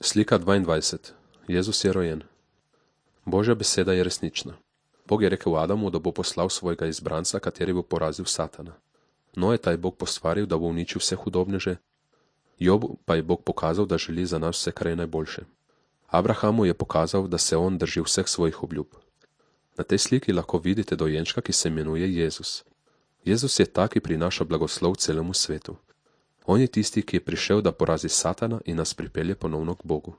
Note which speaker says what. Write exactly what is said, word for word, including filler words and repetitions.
Speaker 1: Slika dvaindvajset. Jezus je rojen. Božja beseda je resnična. Bog je rekel Adamu, da bo poslal svojega izbranca, kateri bo porazil Satana. Nojeta je Bog postvaril, da bo uničil vse hudobneže. Jobu pa je Bog pokazal, da želi za nas vse, kar je najboljše. Abrahamu je pokazal, da se on drži vseh svojih obljub. Na tej sliki lahko vidite dojenčka, ki se imenuje Jezus. Jezus je ta, ki prinaša blagoslov celemu svetu. On je tisti, ki je prišel, da porazi Satana in nas pripelje ponovno k Bogu.